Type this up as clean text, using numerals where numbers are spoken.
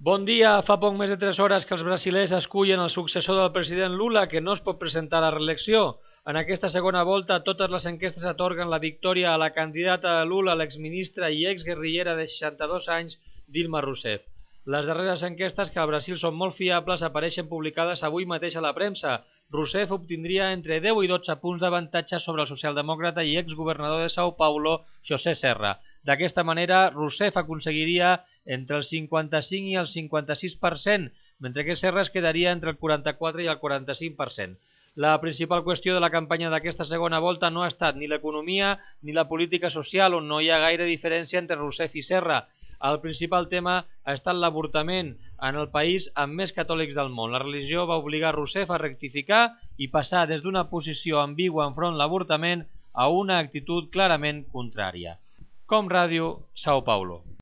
Bon dia. Fa poc més de 3 hores que els brasilers escullen el successor del president Lula, que no es pot presentar a la reelecció. En aquesta segona volta, totes les enquestes atorguen la victòria a la candidata de Lula, l'exministra i exguerrillera de 62 anys, Dilma Rousseff. Les darreres enquestes, que al Brasil són molt fiables, apareixen publicades avui mateix a la premsa. Rousseff obtindria entre 10 i 12 punts d'avantatge sobre el socialdemòcrata i exgovernador de São Paulo, José Serra. D'aquesta manera, Rousseff aconseguiria entre el 55 i el 56%, mentre que Serra es quedaria entre el 44 i el 45%. La principal qüestió de la campanya d'aquesta segona volta no ha estat ni l'economia ni la política social, on no hi ha gaire diferència entre Rousseff i Serra. El principal tema ha estat l'avortament en el país amb més catòlics del món. La religió va obligar Rousseff a rectificar i passar des d'una posició ambigua enfront l'avortament a una actitud clarament contrària. Com Ràdio, São Paulo.